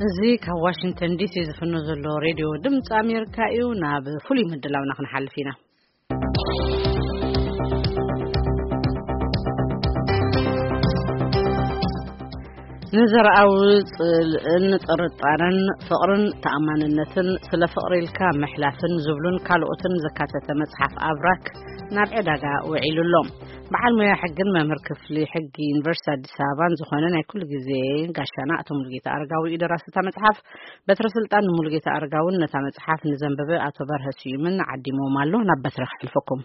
እዚ ካብ ዋሽንግተን ዲሲ ዝፍኖ ዘሎ ሬድዮ ድምፂ ኣሜሪካ እዩ። ናብ ፍሉይ ምድላውና ክንሓልፍ ኢና። ንዘርኣዊ ጽልእን ጥርጣረን፣ ፍቕርን ተኣማንነትን፣ ስለ ፍቕሪ ኢልካ ምሕላፍን ዝብሉን ካልኦትን ዘካተተ መጽሓፍ ኣብራክ ናብ ዕዳጋ ውዒሉ ኣሎ። በዓል ሞያ ሕግን መምህር ክፍሊ ሕጊ ዩኒቨርሲቲ ኣዲስ ኣበባን ዝኾነ ናይ ኩሉ ግዜ ጋሻና ኣቶ ሙሉጌታ ኣረጋዊ እዩ ደራሲ እታ መጽሓፍ። በትረ ስልጣን ንሙሉጌታ ኣረጋውን ነታ መጽሓፍ ንዘንበበ ኣቶ በርሀ ስዩምን ዓዲሞም ኣሎ። ናብ በትረ ክሕልፈኩም።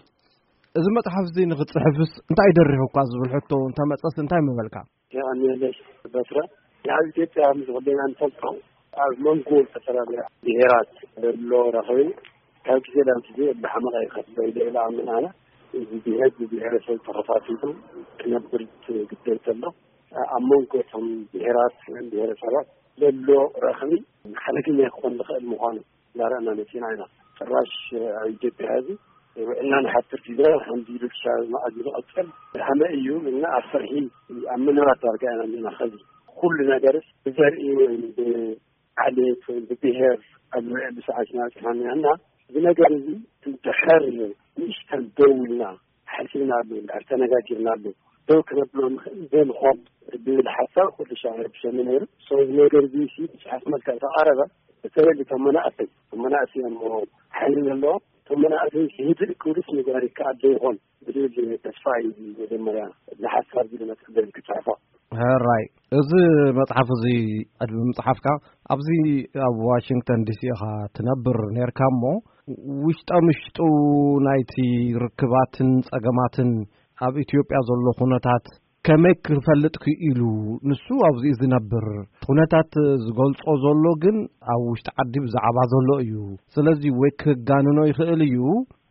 እዚ መጽሓፍ እዚ ንኽትጽሕፍስ እንታይ ደሪኹካ ዝብል ሕቶ እንተመጸስ እንታይ ምበልካ? የቐንየለይ በትረ። ኣብ ኢትዮጵያ ምስ ኩልና እንፈልጦ ኣብ መንጎ ዝተፈላለያ ብሄራት ዘሎ ረኽቢ ካብ ግዜ ናብ ግዜ እንዳሓመቐ ይኸድ ኢለ እየ ዝኣምን ኣነ። እዚ ብሄር ብብሄረሰብ ተኸፋፊሉ ክነብር ግደል ከሎ ኣብ መንጎ እቶም ብሄራት ወይም ብሄረሰባት ዘሎ ረኽቢ ሓደገኛ ክኾን ዝኽእል ምዃኑ እንዳረኣና መፂና ኢና። ጭራሽ ኣብ ኢትዮጵያ ሕዚ ውዕልና ንሓብር ፊደራል ሓምቢሉ ክሻብ መዓዝ ዝቐፅል ሓመ እዩ እና ኣብ ፍርሒ ኣብ ምንባር ዳርጋ ኢና ኣለና። ከዚ ኩሉ ነገርስ ብዘርኢ ወይም ብዓሌት ወይም ብብሄር ኣብ ዝውዕል ሰዓት ኢና በፂሓና እና እዚ ነገር እዚ እንድሕር ንእሽተን ደው ኢልና ሓሲብናሉ እንድሕር ተነጋጊርናሉ ደው ክነብሎ ንኽእል ዘይምኾን ብብል ሓሳብ ኩሉ ሻዕ ይርብሸኒ ነይሩ። ሰው እዚ ነገር እዚ ሲ ብፅሓፍ መልክዕ ተቓረበ። በተለይ እቶም መናእሰይ እቶም መናእሰይ እዮም ሓይሊ ዘለዎ እቶም መናእሰይ ህድእ ክብሉስ ምግባር ይከኣል ዶ ይኾን ብዝብል ተስፋ እዩ መጀመርያ እዚ ሓሳብ እዚ ዝመፅእ ክፅሕፎ። ሕራይ፣ እዚ መጽሓፍ እዚ ቅድሚ ምጽሓፍካ ኣብዚ ኣብ ዋሽንግተን ዲሲ ኢኻ ትነብር ነርካ እሞ ውሽጠ ምሽጡ ናይቲ ርክባትን ጸገማትን ኣብ ኢትዮጵያ ዘሎ ኩነታት ከመይ ክፈልጥ ክኢሉ? ንሱ ኣብዚኡ ዝነብር ኩነታት ዝገልጾ ዘሎ ግን ኣብ ውሽጢ ዓዲ ብዛዕባ ዘሎ እዩ። ስለዚ ወይ ክጋንኖ ይኽእል እዩ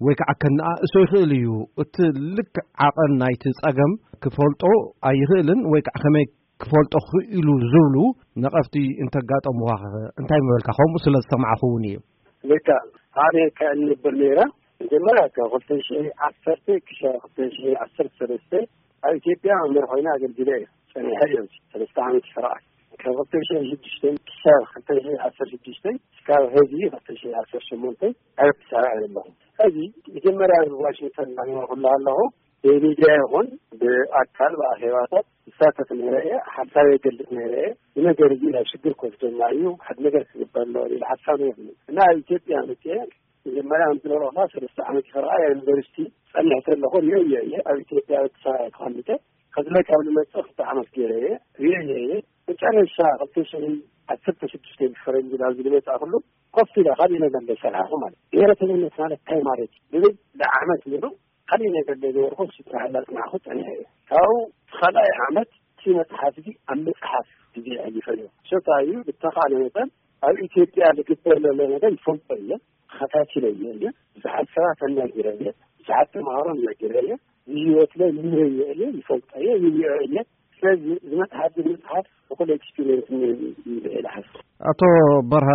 ወይ ከዓ ከነኣእሶ ይኽእል እዩ። እቲ ልክ ዓቐን ናይቲ ጸገም ክፈልጦ ኣይኽእልን ወይ ከዓ ከመይ ክፈልጦ ክኢሉ ዝብሉ ነቐፍቲ እንተጋጠምዋ እንታይ ምበልካ? ከምኡ ስለ ዝሰማዕኹ እውን እዩ። ልካ ኣነ ከእንብር ነይረ መጀመርያ ካብ ክልተ ሽሕ ዓሰርተ ክሻ ክልተ ሽሕ ዓሰርተ ሰለስተ ኣብ ኢትዮጵያ መምህር ኮይነ ኣገልግለ እየ ጸኒሐ እዮም ሰለስተ ዓመት ይፈርዓ ካብ ክልተ ሽሕ ሽዱሽተ ክሻ ክልተ ሽሕ ዓሰርተ ሽዱሽተ እስካብ ሕዚ ክልተ ሽሕ ዓሰርተ ሸሞንተ ኣብ ኣዲስ ኣበባ እየ ዘለኹ። ሕዚ መጀመርያ ኣብ ዋሽንግተን እናነበርኩ ኣለኹ ብሚድያ ይኹን ብኣካል ብኣኼባታት ይሳተፍ ነይረ እየ፣ ሓሳብ የገልጽ ነይረ እየ። እዚ ነገር እዚ ናብ ሽግር ክወስደና እዩ፣ ሓደ ነገር ክግበር ኣለዎ ዝብል ሓሳብ ነይሩኒ እና ኣብ ኢትዮጵያ መፅየ መጀመርያ ከምቲ ዝበልኩኻ ሰለስተ ዓመት ይኸርዓ ዩኒቨርሲቲ ጸኒሕ ከለኹ ርእየ እየ ኣብ ኢትዮጵያ ኣዲስ ኣበባ ተቐሚጠ ከዚ ላይ ካብ ዝመፅእ ክልተ ዓመት ገይረ እየ ርእየ እየ መጨረሻ ክልተ ሽሕን ዓሰርተ ሽዱሽተ ብፈረንጂ ናብ ዝመፅኣ ኩሉ ኮፍ ኢለ ካልእ ነገር እንዳሰርሓኹ ማለት ብሄረተኝነት ማለት እንታይ ማለት እዩ ዝብል ንዓመት ሙሉእ ካልእ ነገር ዘይነበርኩ ስራሕ እንዳፅናዕኩ ፀኒሐ እየ። ካብኡ እቲ ካልኣይ ዓመት እቲ መፅሓፍ እዚ ኣብ ምፅሓፍ ግዜ ኣሕሊፈ እየ። ሸታ እዩ ብተኻእለ መጠን ኣብ ኢትዮጵያ ዝግበር ዘሎ ነገር ይፈልጦ እየ፣ ተኸታቲለ እየ እየ። ብዙሓት ሰባት ኣናጊረ እየ፣ ብዙሓት ተምሃሮ ኣናጊረ እየ፣ ብህይወት ላይ ኑረዮ እየ፣ ይፈልጦ እየ፣ ይሪኦ እየ። ስለዚ እዚ መፅሓፍ እዚ መፅሓፍ ብኩሉ ኤክስፒሪየንስ እየ ኢለ ሓስብ። ኣቶ በርሀ፣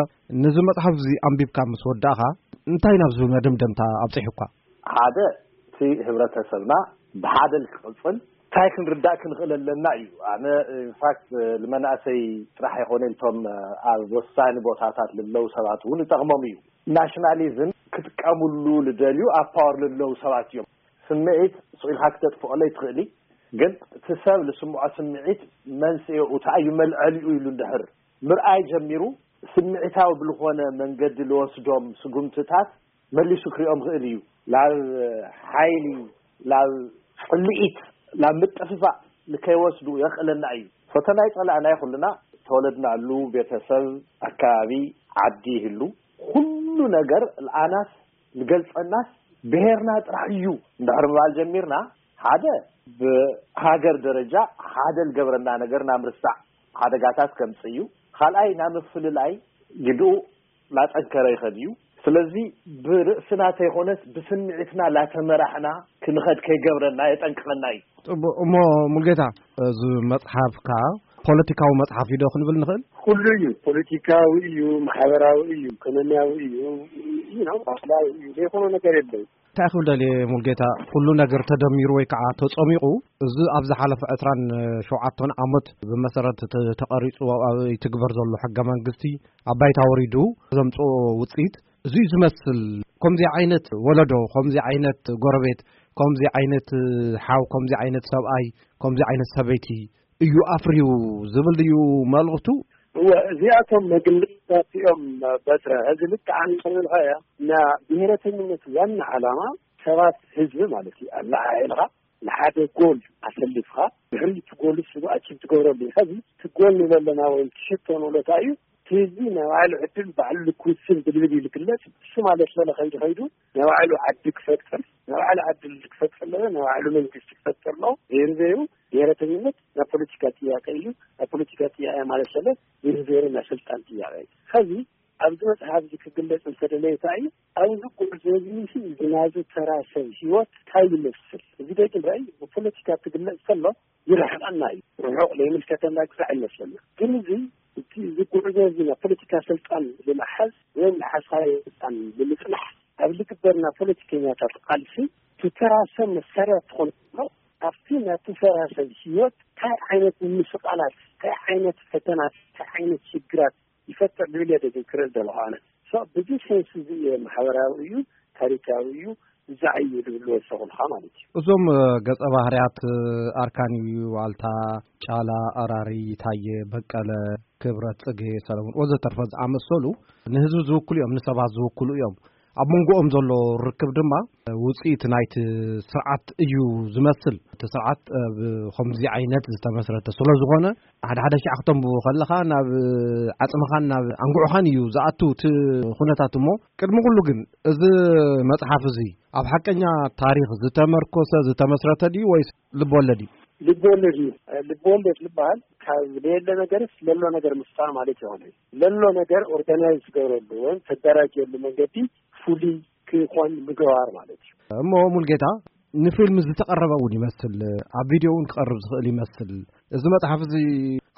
ነዚ መጽሓፍ እዚ ኣንቢብካ ምስ ወዳእኻ እንታይ ናብ ዝብል መደምደምታ ኣብጺሑካ? ሓደ፣ እቲ ህብረተሰብና ብሓደ ክቕጽል እንታይ ክንርዳእ ክንኽእል ኣለና እዩ። ኣነ ኢንፋክት ንመናእሰይ ጥራሕ ኣይኮነ እቶም ኣብ ወሳኒ ቦታታት ልለው ሰባት እውን ይጠቕሞም እዩ። ናሽናሊዝም ክጥቀምሉ ልደልዩ ኣብ ፓወር ልለው ሰባት እዮም። ስምዒት ስቕ ኢልካ ክተጥፍቐለይ ትኽእሊ፣ ግን እቲ ሰብ ልስምዖ ስምዒት መንስኤኡ እንታይ እዩ መልዐሊኡ ኢሉ እንድሕር ምርኣይ ጀሚሩ ስምዒታዊ ብልኾነ መንገዲ ልወስዶም ስጉምትታት መሊሱ ክሪኦም ክእል እዩ። ላብ ሓይሊ፣ ላብ ጽልኢት፣ ላብ ምጥፍፋእ ንከይወስዱ የኽእለና እዩ። ፈተና ይጸላእና ኩልና ተወለድናሉ ቤተሰብ፣ ኣካባቢ፣ ዓዲ ይህሉ። ኩሉ ነገር ልኣናስ ልገልጸናስ ብሄርና ጥራሕ እዩ እንድሕር ምባል ጀሚርና ሓደ ብሃገር ደረጃ ሓደ ልገብረና ነገር ናብ ርሳዕ ሓደጋታት ከምጽእ እዩ። ካልኣይ ናብ ምፍልላይ ግድኡ ላጠንከረ ይኸድ እዩ። ስለዚ ብርእስና ተይኮነስ ብስምዒትና ላተመራሕና ክንኸድ ከይገብረና የጠንቅቐና እዩ። ጽቡቕ እሞ ሙልጌታ እዚ መጽሓፍካ ፖለቲካዊ መጽሓፍ እዩ ዶ ክንብል ንኽእል? ኩሉ እዩ። ፖለቲካዊ እዩ፣ ማሕበራዊ እዩ፣ ኢኮኖሚያዊ እዩ፣ you know፣ ባህላዊ እዩ፣ ዘይኮነ ነገር የለን። እንታይ ክብል ደልየ፣ ሙልጌታ፣ ኩሉ ነገር ተደሚሩ ወይ ከዓ ተጸሚቑ፣ እዚ ኣብ ዝሓለፈ ዕስራን ሸውዓተን ዓመት ብመሰረት ተ-፣ ተቐሪጹ ኣብ ይትግበር ዘሎ ሕገ መንግስቲ፣ ኣብ ባይታ ወሪዱ ዘምጽኦ ውጽኢት እዚ እዩ ዝመስል። ከምዚ ዓይነት ወለዶ፣ ከምዚ ዓይነት ጎረቤት፣ ከምዚ ዓይነት ሓው፣ ከምዚ ዓይነት ሰብኣይ፣ ከምዚ ዓይነት ሰበይቲ እዩ ኣፍርዩ ዝብል ድዩ መልእኽቱ? እወ፣ እዚኣቶም መግለጽታት እዮም። በትረ፣ እዚ ልክዕ ንኽንብል ከያ፣ ና ብሄረተኝነት ዋና ዓላማ ሰባት ህዝቢ ማለት እዩ። ኣለዓዒልኻ ንሓደ ጎል ኣሰሊፍኻ፣ ድሕሪ እቲ ጎል እሱ ኣቺቭ ትገብረሉ እዩ። ከዚ እቲ ጎል ንብለና ወይም ትሽቶ ንብለታ እዩ። እቲ ህዝቢ ናይ ባዕሉ ዕድል ባዕሉ ክውስን ብልብል እዩ ዝግለጽ። እሱ ማለት በለ ከይዱ ከይዱ ናይ ባዕሉ ዓዲ ክፈጥር፣ ናይ ባዕሉ ዓዲ ክፈጥር ኣለዎ፣ ናይ ባዕሉ መንግስቲ ክፈጥር ኣለዎ። ዘይሩ ዘይሩ ብሄረተኝነት ናይ ፖለቲካ ጥያቄ እዩ። ናይ ፖለቲካ ጥያቄ ማለት ሰለ ዘይሩ ዘይሩ ናይ ስልጣን ጥያቄ እዩ። ከዚ ኣብዚ መጽሓፍ እዚ ክግለጽ እንተደለየ እንታይ እዩ? ኣብዚ ጉዕዞ እዚ ሲ እዚ ናዚ ተራ ሰብ ህይወት እንታይ ይመስል? እዚ ደቂ ራእይ ብፖለቲካ ክግለጽ ከሎ ይርሕቐና እዩ። ርሑቕ ዘይምልከተና ግዛዕ ይመስለና። ግን እዚ እቲ እዚ ጉዕዞ እዚ ናይ ፖለቲካ ስልጣን ብምሓዝ ወይ ንሓሳዊ ስልጣን ብምጽናሕ ኣብ ዝግበርና ፖለቲከኛታት ቃልሲ እቲ ተራ ሰብ መሳርያ ትኾን ከሎ ኣብቲ ናቲ ተራ ሰብ ህይወት እንታይ ዓይነት ምስቃላት፣ እንታይ ዓይነት ፈተናት፣ እንታይ ዓይነት ሽግራት ይፈጥር ዝብል እየ ደጊም ክርኢ ዘለኹ ኣነ። ሶ፣ ብዚ ሴንስ እዚ እየ ማሕበራዊ እዩ፣ ታሪካዊ እዩ፣ ብዛዕ እዩ ዝብል ዝወሰኹልካ ማለት እዩ። እዞም፣ እ፣ ገጸ ባህርያት፣ እ፣ ኣርካን እዩ፣ ዋልታ፣ ጫላ፣ ኣራሪ፣ ታየ፣ በቀለ፣ ክብረት፣ ጽጌ፣ ሰለሙን ወዘተርፈ ዝኣመሰሉ ንህዝቢ ዝውክሉ እዮም፣ ንሰባት ዝውክሉ እዮም። ኣብ መንጎኦም ዘሎ ርክብ ድማ ውጽኢት ናይቲ ስርዓት እዩ ዝመስል። እቲ ስርዓት፣ እ፣ ብኸምዚ ዓይነት ዝተመስረተ ስለ ዝኾነ፣ ሓደ ሓደ ሻዕ ክተንብቦ ከለኻ ናብ ዓጽምኻን ናብ ኣንጉዕኻን እዩ ዝኣቱ እቲ ኩነታት። እሞ ቅድሚ ኩሉ ግን እዚ መጽሓፍ እዚ ኣብ ሓቀኛ ታሪኽ ዝተመርኮሰ፣ ዝተመስረተ ድዩ ወይስ ልብ ወለድ እዩ? ልብ ወለድ እዩ። ልብ ወለድ ዝበሃል ካብ ዘየለ ነገርስ ለሎ ነገር ምፍጣር ማለት ይኾነ። ለሎ ነገር ኦርጋናይዝ ዝገብረሉ ወይም ተደራጀሉ መንገዲ ፍሉይ ክኾን ምግባር ማለት እዩ። እሞ ሙልጌታ፣ ንፊልም ዝተቐረበ እውን ይመስል፣ ኣብ ቪድዮ እውን ክቐርብ ዝኽእል ይመስል። እዚ መጽሓፍ እዚ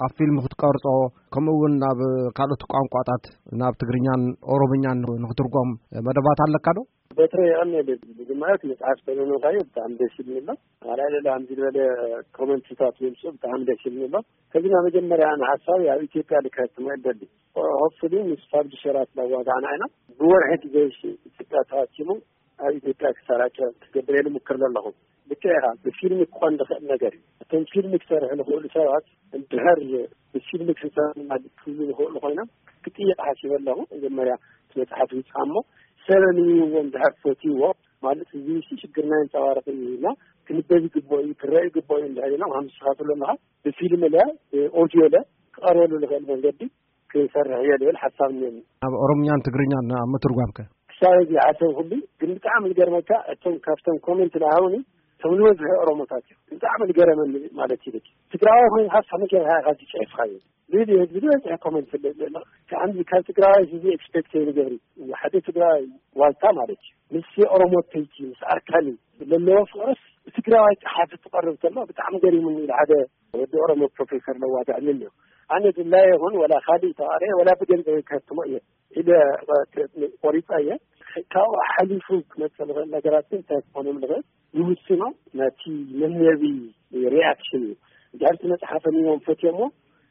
ኣብ ፊልም ክትቀርጾ፣ ከምኡ እውን ናብ ካልኦት ቋንቋታት፣ ናብ ትግርኛን ኦሮምኛን ንኽትርጎም መደባት ኣለካ ዶ? በትረ የቐንየለይ። መጀመርያ እቲ መጽሓፍ ተለምካዮ ብጣዕሚ ደስ ይብል ኣሎ። ካልኣይ ሌላ ከምዚ ዝበለ ኮመንትታት ይምጽኡ ብጣዕሚ ደስ ይብል ኣሎ። ከዚ ናብ መጀመርያ ንሓሳብ ኣብ ኢትዮጵያ ልከትሞ ይደሊ። ሆፕፉሊ ምስ ፓብሊሸራት እናዋጋዕና ኢና። ብወርሒ ግዜ ኢትዮጵያ ተሃኪሙ ኣብ ኢትዮጵያ ክሰራጨ ክገብር እየ ዝምክር ዘለኹ። ልክዕ ኢኻ፣ ብፊልም ክኾን ዝኽእል ነገር እዩ። እቶም ፊልም ክሰርሑ ዝኽእሉ ሰባት እንድሕር ብፊልም ክንሰርሕ ክብሉ ዝኽእሉ ኮይኖም ክጥይቕ ሓሲበ ኣለኹ። መጀመርያ እቲ መጽሓፍ ይውጻእ እሞ ሰብ ኣንቢብዎ እንድሕር ፈትይዎ፣ ማለት እዚ ሲ ሽግርና የንጸባርቕ እዩ ኢልና ክንበብ ይግብኦ እዩ፣ ክረአ ይግብኦ እዩ እንድሕር ኢሎም፣ ከም ንስኻ ትብሎ ኣለኻ ብፊልም ለ ብኦድዮ ለ ክቐርበሉ ዝኽእል መንገዲ ክሰርሕ እየ ዝብል ሓሳብ እኒአኒ። ኣብ ኦሮምኛን ትግርኛን ኣብ ምትርጓምከ? ክሳብ እዚ ይሓሰብኩሉ፣ ግን ብጣዕሚ ዝገርመካ እቶም ካብቶም ኮሜንት ዝሃቡኒ እቶም ዝበዝሑ ኦሮሞታት እዮም። ብጣዕሚ ዝገረመኒ ማለት እዩ። ትግራዋይ ኮይንካ ከመይ ጌርካ ኢኻ እዚ ጽሒፍካዮ? ልዕሊ ህዝቢ ዝበዝሐ ኮሜንት ስለ ዘሎ፣ ከምዚ ካብ ትግራዋይ እዚ ኤክስፔክት ዘይንገብር እዩ። ሓደ ትግራዋይ ዋልታ ማለት እዩ። ምስ ኦሮሞ ተይቲ፣ ምስ ኣርካኒ ዘለዎ ፍቕርስ ብትግራዋይ ጸሓፊ ትቐርብ ከሎ ብጣዕሚ ገሪሙኒ ኢሉ ሓደ ወዲ ኦሮሞ ፕሮፌሰር ለዋዳዕኒ ኣሎ። ኣነ ድላየ ይኹን ወላ ካልእ ተቓርየ ወላ ብገንዘብ ከትሞ እየ ኢለ ቆሪጸ እየ። ካብኡ ሓሊፉ ክመጽእ ዝኽእል ነገራት ግን እንታይ ክኾኑ ንኽእል ይውስኖ። ነቲ መምየቢ ሪኣክሽን እዩ። እንድሕር እቲ መጽሓፍ ኣንቢቦም ፈትዮሞ፣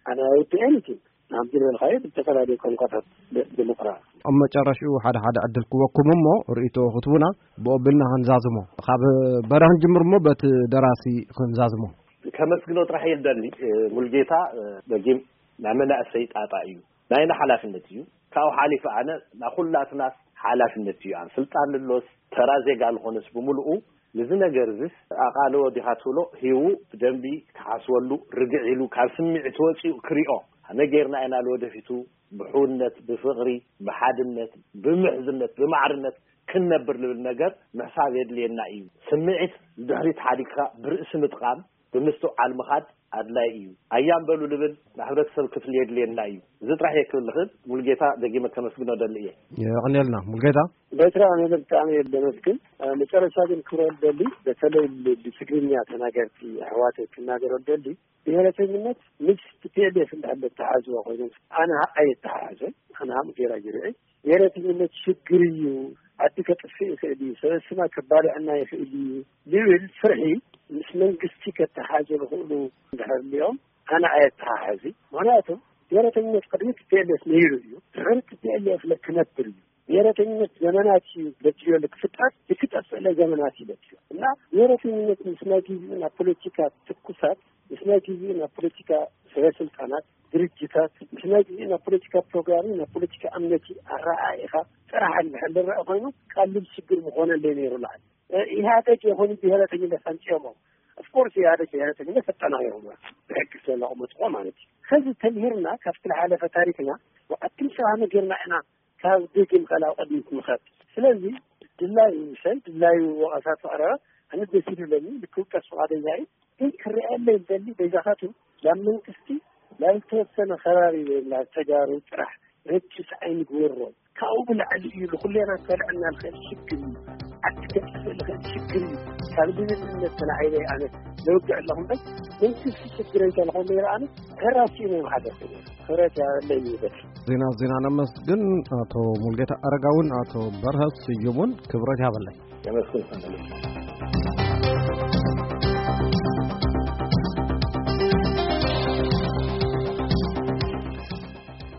ኣነ ኣይውድኤን እቲ ናብዚ ዝበልካዮ ብዝተፈላለዩ ቋንቋታት ደ-፣ ዲሞክራ። ኣብ መጨረሽኡ ሓደ ሓደ ዕድል ክወኩም እሞ ርእይቶ ክትቡና ብኦ ቢልና ክንዛዝሞ። ካብ በዳ ክንጅምር እሞ በቲ ደራሲ ክንዛዝሞ። ከመስግኖ ጥራሕ እየ ዝደሊ፣ እ፣ ሙልጌታ፣ እ፣ ደጊም ናይ መናእሰይ ጣጣ እዩ። ናይና ሓላፍነት እዩ። ካብኡ ሓሊፉ ኣነ ናይ ኩላትናስ ሓላፍነት እዩ። ኣብ ስልጣን ልሎስ ተራ ዜጋ ልኾነስ ብምልኡ ንዚ ነገር እዚስ ኣቓልቦ ዲኻ ትብሎ ሂቡ ብደንቢ ክሓስበሉ፣ ርግዕ ኢሉ ካብ ስምዒት ወጺኡ ክሪኦ፣ ከመይ ጌርና ኢና ንወደፊቱ ብሕውነት፣ ብፍቕሪ፣ ብሓድነት፣ ብምሕዝነት፣ ብማዕርነት ክንነብር ልብል ነገር ምሕሳብ የድልየና እዩ። ስምዒት ንድሕሪት ሓዲግካ ብርእሲ ምጥቓም፣ ብምስትውዓል ምኻድ ኣድላይ እዩ። ኣያም በሉ ልብል ናይ ሕብረተሰብ ክፍሊ የድልየና እዩ። እዚ ጥራሕ እየ ክብል ዝኽእል። ሙልጌታ ደጊመ ከመስግኖ ደሊ እየ። የቐንየልና ሙልጌታ። በትራ ኣነ ብጣዕሚ እየ ዘመስግን። ኣብ መጨረሻ ግን ክብሎ ደሊ፣ በተለይ ል-፣ ብትግርኛ ተናገርቲ ኣሕዋተይ ክናገሮ ደሊ፣ ብሄረተኝነት ምስ ቲ ፒ ኤል ኤፍ እንዳለ ተሓዝዋ ኮይኖም ኣነ ኣየተሓሓዘን፣ ኣነ ሃም ጌራ ጌርዒ ብሄረተኝነት ሽግር እዩ፣ ዓዲ ከጥፍእ ይኽእል እዩ፣ ሰበስማ ከባልዕና ይኽእል እዩ ዝብል ፍርሒ ምስ መንግስቲ ከተሓዘ ዝኽእሉ እንድሕር ሊኦም ኣነ ኣየተሓሕዚ። ምክንያቱ ብሄረተኝነት ቅድሚ ቲ ፒ ኤል ኤፍ ነይሩ እዩ፣ ድሕሪ ቲ ፒ ኤል ኤፍ ክነብር እዩ። ብሄረተኝነት ዘመናት እዩ በድዮ ክፍጠር፣ ክጠፍእለ ዘመናት እዩ በድዮ። እና ብሄረተኝነት ምስ ናይ ግዜኡ ናብ ፖለቲካ ትኩሳት፣ ምስ ናይ ግዜኡ ናብ ፖለቲካ ሰበ ስልጣናት፣ ድርጅታት፣ ምስ ናይ ግዜኡ ናብ ፖለቲካ ፕሮግራም፣ ናብ ፖለቲካ እምነቲ ኣረኣኢኻ ጥራሕ እንድሕር ዝረኣ ኮይኑ ቀሊል ሽግር ምኾነለይ ነይሩ። ላዓል ኢህኣደግ የኾኑ ብሄረተኝነት ኣምፅኦሞ። ኦፍኮርስ ኢህኣደግ ብሄረተኝነት ኣጠናቂሮሞ ብሕጊ ስለዘቐመጥዎ ማለት እዩ። ከዚ ተምሂርና ካብቲ ዝሓለፈ ታሪክና ወዓትም ሰባሚ ጌርና ኢና ካብ ደጊም ቀላው ቅድሚት ንኸድ። ስለዚ ድላዩ ሰብ ድላዩ ወቐሳ ተቕረበ ኣነ ደስ ይብለኒ። ልክውቀስ ፍቓደኛ እዩ። ግን ክርኣየለይ ዝደሊ በይዛኻቱ ናብ መንግስቲ ናብ ዝተወሰነ ከባቢ ወይ ናብ ተጋሩ ጥራሕ ረጅስ ኣይንግበሮ። ካብኡ ብላዕሊ እዩ ንኩሌና ከልዕና ልኽእል ሽግር እዩ። ዓዲ ከጥፍእ ልኽእል ሽግር እዩ። ካብ ድንነት ተላዒለ ኣነ ለውግዕ ኣለኹ እምበር መንግስቲ ሽግረይ ተለኾ ነይረ ኣነ ሕራሲ ናይ ማሕደር ክብረት ያበለይ ይበል። ዜና ዜና ነመስግን። ኣቶ ሙልጌታ ኣረጋውን ኣቶ በርሀ ስዩሙን ክብረት ያበለይ። የመስግን።